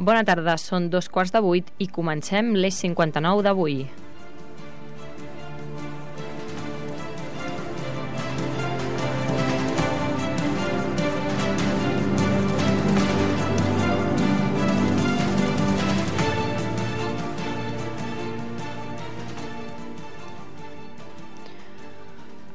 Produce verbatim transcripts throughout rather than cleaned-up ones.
Bona tarda, són dos quarts de vuit i comencem l'Eix cinquanta-nou d'avui.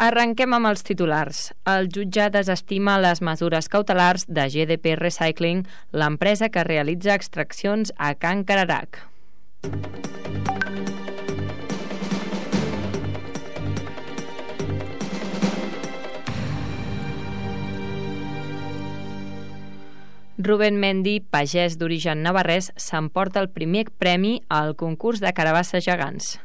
Arrenquem amb els titulars. El jutjat desestima les mesures cautelars de G D P Recycling, l'empresa que realitza extraccions a Can Cararac. Rubén Mendy, pagès d'origen navarrès, s'emporta el primer premi al concurs de carabasses gegants.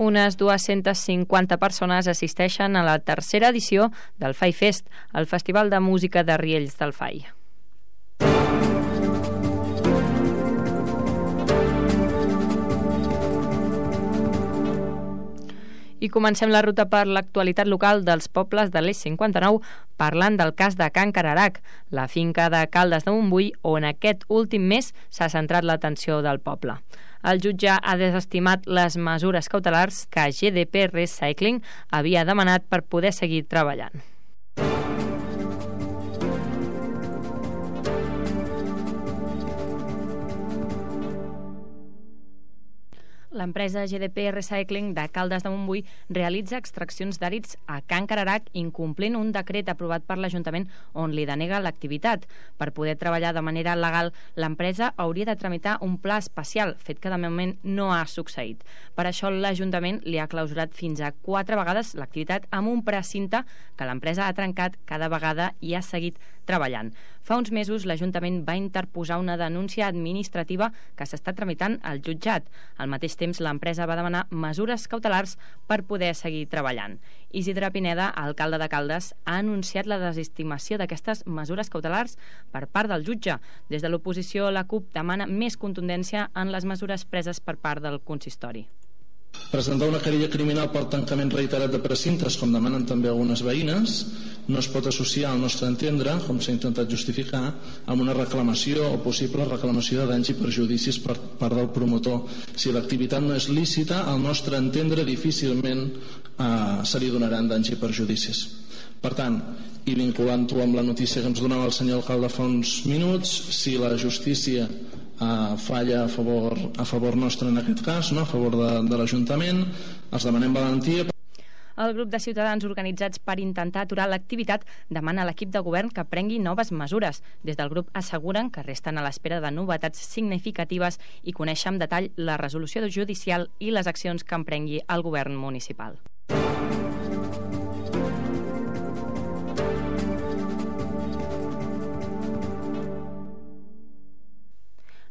Unes dues-centes cinquanta persones assisteixen a la tercera edició del Fai Fest, el festival de música de Riells del Fai. I comencem la ruta per l'actualitat local dels pobles de l'Eix cinquanta-nou parlant del cas de Can Cararac, la finca de Caldes de Montbui, on aquest últim mes s'ha centrat l'atenció del poble. El jutge ha desestimat les mesures cautelars que G D P Recycling havia demanat per poder seguir treballant. L'empresa G D P Recycling de Caldes de Montbui realitza extraccions d'àrids a Can Cararac incomplint un decret aprovat per l'Ajuntament on li denega l'activitat. Per poder treballar de manera legal, l'empresa hauria de tramitar un pla especial, fet que de moment no ha succeït. Per això l'Ajuntament li ha clausurat fins a quatre vegades l'activitat amb un precinte que l'empresa ha trencat cada vegada i ha seguit treballant. Fa uns mesos l'Ajuntament va interposar una denúncia administrativa que s'està tramitant al jutjat. Al mateix temps, l'empresa va demanar mesures cautelars per poder seguir treballant. Isidre Pineda, alcalde de Caldes, ha anunciat la desestimació d'aquestes mesures cautelars per part del jutge. Des de l'oposició, la CUP demana més contundència en les mesures preses per part del consistori. Presentar una querella criminal per tancament reiterat de precintes, com demanen també algunes veïnes, no es pot associar al nostre entendre, com s'ha intentat justificar, amb una reclamació o possible reclamació de danys i perjudicis per part del promotor. Si l'activitat no és lícita, al nostre entendre difícilment eh, se li donaran danys i perjudicis. Per tant, i vinculant-ho amb la notícia que ens donava el senyor alcalde fa uns minuts, si la justícia Uh, falla a favor, a favor nostre en aquest cas, no? A favor de, de l'Ajuntament, els demanem valentia. El grup de ciutadans organitzats per intentar aturar l'activitat demana a l'equip de govern que prengui noves mesures. Des del grup asseguren que resten a l'espera de novetats significatives i conèixer amb detall la resolució judicial i les accions que emprengui el govern municipal.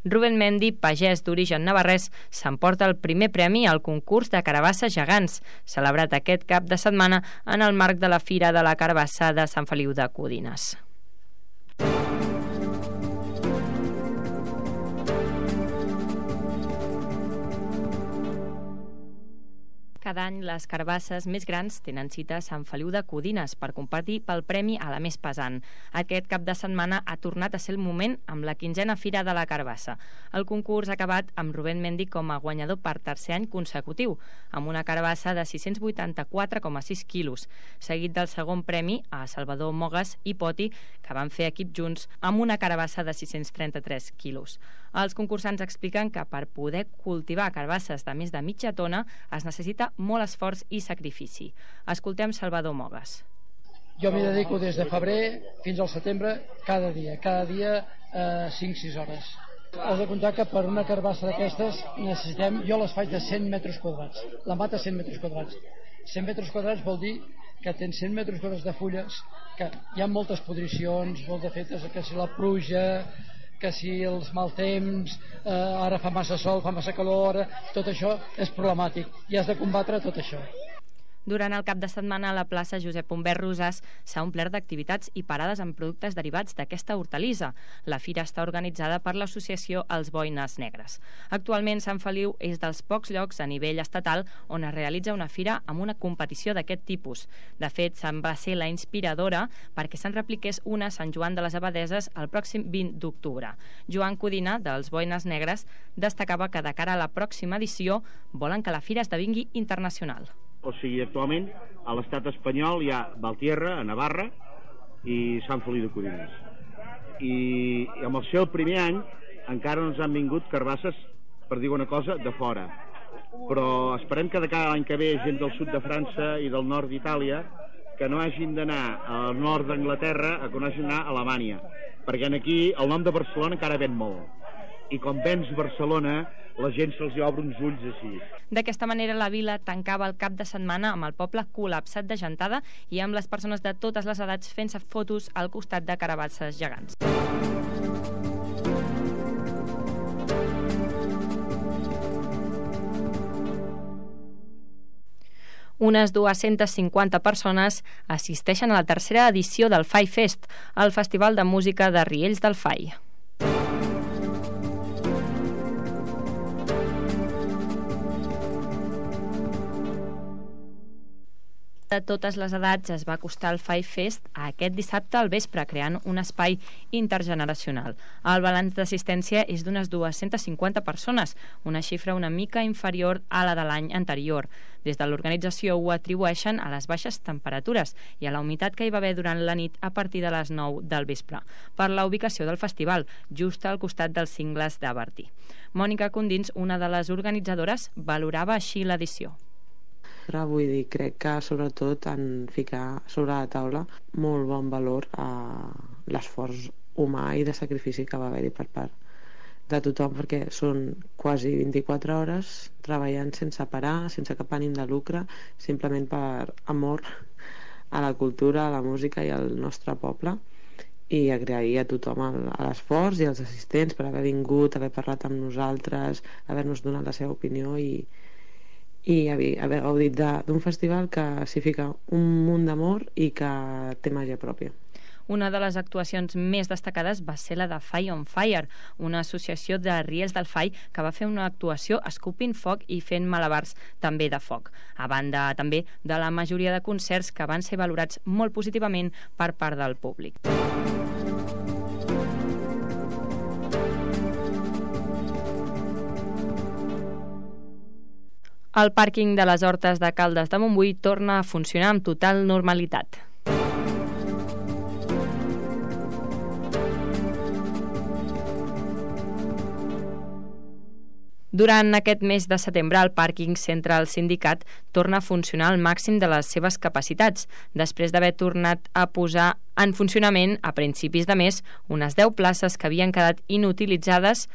Rubén Mendy, pagès d'origen navarrès, s'emporta el primer premi al concurs de carabasses gegants, celebrat aquest cap de setmana en el marc de la Fira de la Carabassa de Sant Feliu de Codines. Cada any les carbasses més grans tenen cita a Sant Feliu de Codines per competir pel premi a la més pesant. Aquest cap de setmana ha tornat a ser el moment amb la quinzena Fira de la Carbassa. El concurs ha acabat amb Rubén Mendy com a guanyador per tercer any consecutiu, amb una carbassa de sis-cents vuitanta-quatre coma sis quilos, seguit del segon premi a Salvador Mogas i Poti, que van fer equip junts amb una carbassa de sis-cents trenta-tres quilos. Els concursants expliquen que per poder cultivar carbasses de més de mitja tona es necessita molt esforç i sacrifici. Escoltem Salvador Mogas. Jo m'hi dedico des de febrer fins al setembre cada dia, cada dia eh, cinc sis hores. Has de comptar que per una carbassa d'aquestes necessitem, jo les faig de cent metres quadrats, la mata cent metres quadrats. cent metres quadrats vol dir que tens cent metres quadrats de fulles, que hi ha moltes podricions, molt defectes, que si la pluja, que si els mal temps, eh, ara fa massa sol, fa massa calor, ara, tot això és problemàtic i has de combatre tot això. Durant el cap de setmana, la plaça Josep Humbert Rosàs s'ha omplert d'activitats i parades amb productes derivats d'aquesta hortalissa. La fira està organitzada per l'associació Els Boines Negres. Actualment, Sant Feliu és dels pocs llocs a nivell estatal on es realitza una fira amb una competició d'aquest tipus. De fet, se'n va ser la inspiradora perquè se'n repliqués una a Sant Joan de les Abadeses el pròxim vint d'octubre. Joan Codina, dels Boines Negres, destacava que de cara a la pròxima edició volen que la fira esdevingui internacional. O sigui, actualment a l'estat espanyol hi ha Valtierra, a Navarra, i Sant Feliu de Codines. I, i amb el seu primer any encara no ens han vingut carbasses, per dir una cosa, de fora. Però esperem que de cada any que ve gent del sud de França i del nord d'Itàlia que no hagin d'anar al nord d'Anglaterra, que no hagin d'anar a Alemanya, perquè aquí el nom de Barcelona encara ven molt. I com vens Barcelona, la gent se'ls obre uns ulls així. D'aquesta manera, la vila tancava el cap de setmana amb el poble col·lapsat de gentada i amb les persones de totes les edats fent-se fotos al costat de carabasses gegants. Unes dues-centes cinquanta persones assisteixen a la tercera edició del Fai Fest, el festival de música de Riells del Fai. De totes les edats es va acostar el Fai Fest a aquest dissabte al vespre, creant un espai intergeneracional. El balanç d'assistència és d'unes dues-centes cinquanta persones, una xifra una mica inferior a la de l'any anterior. Des de l'organització ho atribueixen a les baixes temperatures i a la humitat que hi va haver durant la nit a partir de les nou del vespre, per la ubicació del festival, just al costat dels cingles de Bertí. Mònica Condins, una de les organitzadores, valorava així l'edició. Vull dir, crec que sobretot en ficar sobre la taula molt bon valor a l'esforç humà i de sacrifici que va haver-hi per part de tothom, perquè són quasi vint-i-quatre hores treballant sense parar, sense cap ànim de lucre, simplement per amor a la cultura, a la música i al nostre poble, i agrair a tothom l'esforç i als assistents per haver vingut, haver parlat amb nosaltres, haver-nos donat la seva opinió i i haver gaudit d'un festival que s'hi fica un munt d'amor i que té màgia pròpia. Una de les actuacions més destacades va ser la de Fai on Fire, una associació de Riells del Fai que va fer una actuació escopint foc i fent malabars també de foc, a banda també de la majoria de concerts que van ser valorats molt positivament per part del públic. El pàrquing de les Hortes de Caldes de Montbui torna a funcionar amb total normalitat. Durant aquest mes de setembre, el pàrquing Central Sindicat torna a funcionar al màxim de les seves capacitats, després d'haver tornat a posar en funcionament a principis de mes unes deu places que havien quedat inutilitzades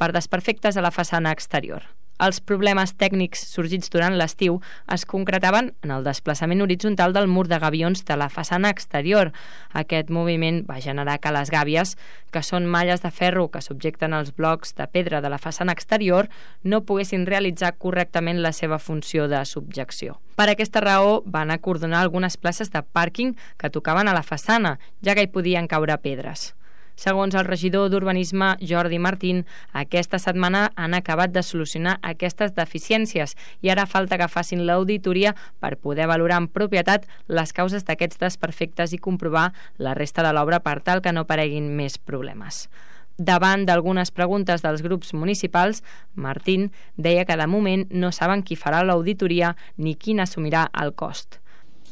per desperfectes a la façana exterior. Els problemes tècnics sorgits durant l'estiu es concretaven en el desplaçament horitzontal del mur de gavions de la façana exterior. Aquest moviment va generar que les gàbies, que són malles de ferro que subjecten els blocs de pedra de la façana exterior, no poguessin realitzar correctament la seva funció de subjecció. Per aquesta raó, van acordonar algunes places de pàrquing que tocaven a la façana, ja que hi podien caure pedres. Segons el regidor d'Urbanisme, Jordi Martín, aquesta setmana han acabat de solucionar aquestes deficiències i ara falta que facin l'auditoria per poder valorar en propietat les causes d'aquests desperfectes i comprovar la resta de l'obra per tal que no apareguin més problemes. Davant d'algunes preguntes dels grups municipals, Martín deia que de moment no saben qui farà l'auditoria ni qui n'assumirà el cost.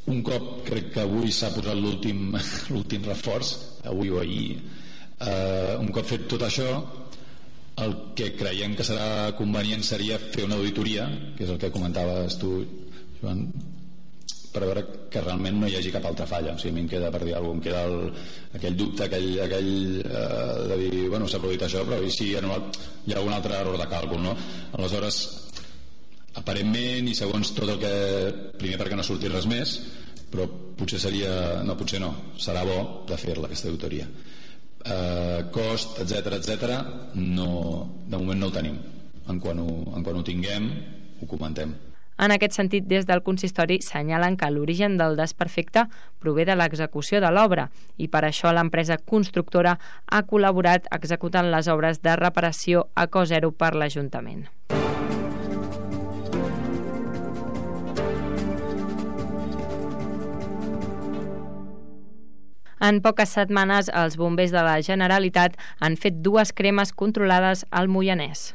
Un cop, crec que avui s'ha posat l'últim l'últim reforç, avui o ahir, Uh, un cop fet tot això, el que creiem que serà convenient seria fer una auditoria, que és el que comentaves tu, Joan, per veure que realment no hi hagi cap altra falla. O sigui, a mi em queda, per dir alguna cosa, em queda el, aquell dubte, aquell, aquell uh, de dir, bueno, s'ha produït això, però i si hi ha, hi ha algun altre error de càlcul, no? Aleshores, aparentment i segons tot el que, primer perquè no surti res més, però potser seria, no, potser no, serà bo de fer-la, aquesta auditoria. Uh, cost, etcètera, etcètera, no, de moment no el tenim. En quan ho, en quan ho tinguem, ho comentem. En aquest sentit, des del consistori senyalen que l'origen del desperfecte prové de l'execució de l'obra i per això l'empresa constructora ha col·laborat executant les obres de reparació a cost zero per l'Ajuntament. En poques setmanes, els bombers de la Generalitat han fet dues cremes controlades al Moianès.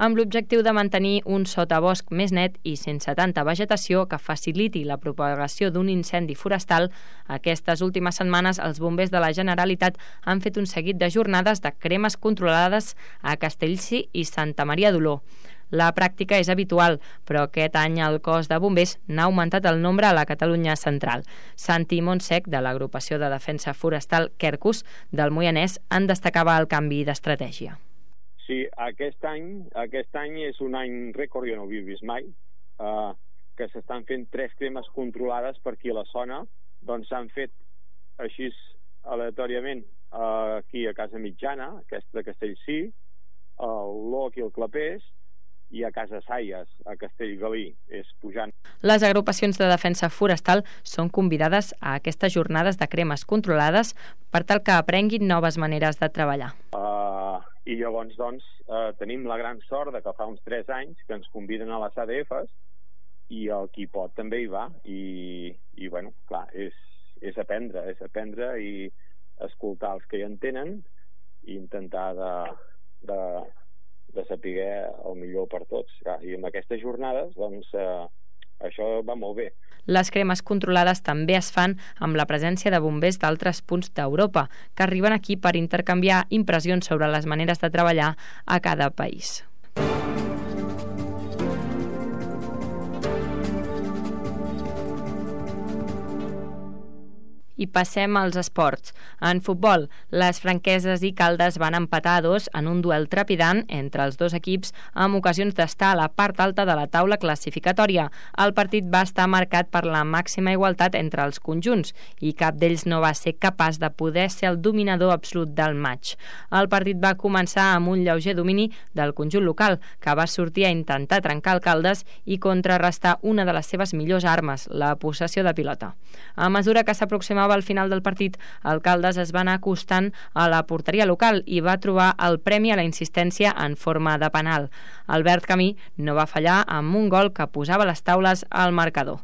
Amb l'objectiu de mantenir un sotabosc més net i sense tanta vegetació que faciliti la propagació d'un incendi forestal, aquestes últimes setmanes els bombers de la Generalitat han fet un seguit de jornades de cremes controlades a Castellcir i Santa Maria d'Oló. La pràctica és habitual, però aquest any el cos de bombers n'ha augmentat el nombre a la Catalunya central. Santi Montsec, de l'agrupació de defensa forestal Quercus del Moianès, en destacava el canvi d'estratègia. Sí, aquest any, aquest any és un any rècord, jo no ho havia vist mai, eh, que s'estan fent tres cremes controlades per aquí a la zona, doncs s'han fet així aleatòriament eh, aquí a Casa Mitjana, aquesta de Castellcir, a Oló, aquí al Clapés, i a Casa Saies, a Castellgalí, és pujant. Les agrupacions de defensa forestal són convidades a aquestes jornades de cremes controlades per tal que aprenguin noves maneres de treballar. Uh, I llavors, doncs, uh, tenim la gran sort de que fa uns tres anys que ens conviden a les A D Fs i el qui pot també hi va. I, i bueno, clar, és, és aprendre, és aprendre i escoltar els que hi entenen i intentar de... de de saber el millor per tots. I amb aquestes jornades, doncs, eh, això va molt bé. Les cremes controlades també es fan amb la presència de bombers d'altres punts d'Europa, que arriben aquí per intercanviar impressions sobre les maneres de treballar a cada país. I passem als esports. En futbol, les Franqueses i Caldes van empatar a dos en un duel trepidant entre els dos equips amb ocasions d'estar a la part alta de la taula classificatòria. El partit va estar marcat per la màxima igualtat entre els conjunts i cap d'ells no va ser capaç de poder ser el dominador absolut del matx. El partit va començar amb un lleuger domini del conjunt local, que va sortir a intentar trencar el Caldes i contrarrestar una de les seves millors armes, la possessió de pilota. A mesura que s'aproximava al final del partit, el Caldes es va anar acostant a la porteria local i va trobar el premi a la insistència en forma de penal. Albert Camí no va fallar amb un gol que posava les taules al marcador.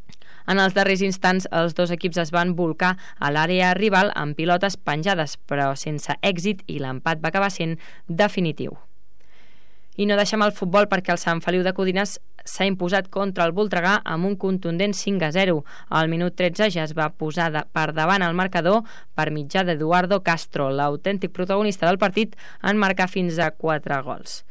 En els darrers instants, els dos equips es van bolcar a l'àrea rival amb pilotes penjades, però sense èxit, i l'empat va acabar sent definitiu. I no deixem el futbol perquè el Sant Feliu de Codines s'ha imposat contra el Voltregà amb un contundent cinc a zero. Al minut tretze ja es va posar de, per davant el marcador per mitjà d'Eduardo Castro, l'autèntic protagonista del partit, en marcar fins a quatre gols.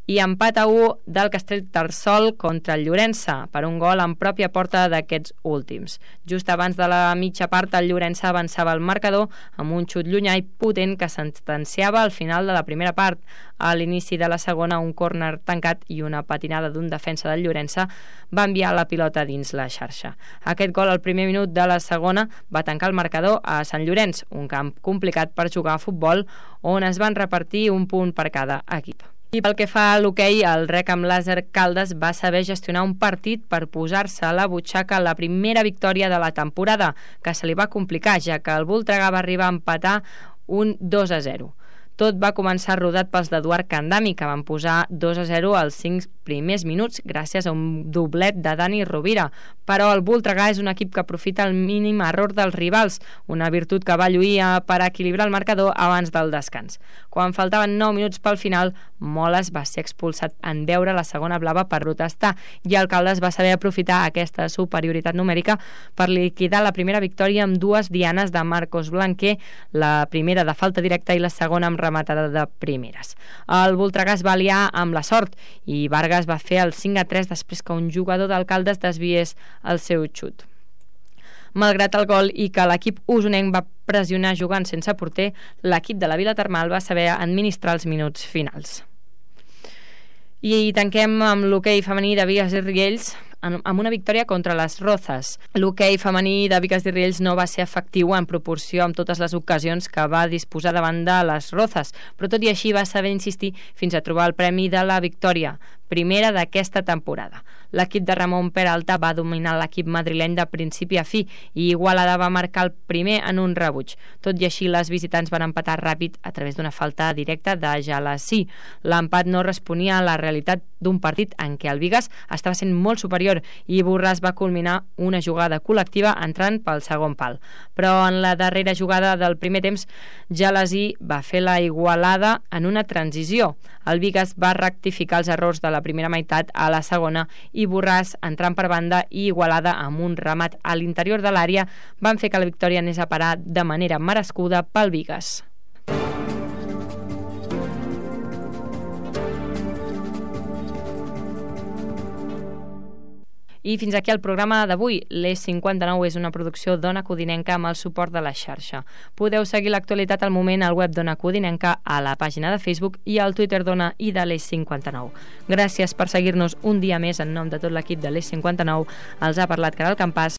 I empat a u del Castellterçol contra el Llorença per un gol en pròpia porta d'aquests últims. Just abans de la mitja part, el Llorença avançava el marcador amb un xut llunyà i potent que sentenciava al final de la primera part. A l'inici de la segona, un córner tancat i una patinada d'un defensa del Llorença va enviar la pilota dins la xarxa. Aquest gol al primer minut de la segona va tancar el marcador a Sant Llorenç, un camp complicat per jugar a futbol, on es van repartir un punt per cada equip. I pel que fa a l'hoquei, el Rec amb Làser Caldes va saber gestionar un partit per posar-se a la butxaca la primera victòria de la temporada, que se li va complicar, ja que el Voltregà va arribar a empatar un dos a zero. Tot va començar rodat pels d'Eduard Candami, que van posar dos a zero als cinc primers minuts gràcies a un doblet de Dani Rovira. Però el Voltregà és un equip que aprofita el mínim error dels rivals, una virtut que va lluir per equilibrar el marcador abans del descans. Quan faltaven nou minuts pel final, Moles va ser expulsat en veure la segona blava per protestar i el Caldes va saber aprofitar aquesta superioritat numèrica per liquidar la primera victòria amb dues dianes de Marcos Blanquer, la primera de falta directa i la segona amb rematada de primeres. El Voltregà es va aliar amb la sort i Vargas va fer el cinc a tres després que un jugador del Caldes desviés el seu xut. Malgrat el gol i que l'equip usonenc va pressionar jugant sense porter, l'equip de la Vila Termal va saber administrar els minuts finals. I tanquem amb l'hoquei femení de Bigues i Riells. amb una victòria contra les Rozas. L'hoquei femení de Bigues i Riells no va ser efectiu en proporció amb totes les ocasions que va disposar davant de les Rozas, però tot i així va saber insistir fins a trobar el premi de la victòria, primera d'aquesta temporada. L'equip de Ramon Peralta va dominar l'equip madrileny de principi a fi i Igualada va marcar el primer en un rebuig. Tot i així, les visitants van empatar ràpid a través d'una falta directa de Jalassi. L'empat no responia a la realitat d'un partit en què el Bigues estava sent molt superior i Borràs va culminar una jugada col·lectiva entrant pel segon pal. Però en la darrera jugada del primer temps, Jalassi va fer la igualada en una transició. El Bigues va rectificar els errors de la primera meitat a la segona i Borràs, entrant per banda i Igualada amb un remat a l'interior de l'àrea, van fer que la victòria anés a parar de manera merescuda pel Bigues. I fins aquí el programa d'avui. l'E cinquanta-nou és una producció d'Ona Codinenca amb el suport de la xarxa. Podeu seguir l'actualitat al moment al web d'Ona Codinenca, a la pàgina de Facebook i al Twitter d'Ona i de l'E cinquanta-nou. Gràcies per seguir-nos un dia més en nom de tot l'equip de l'E cinquanta-nou. Els ha parlat Caral Campàs.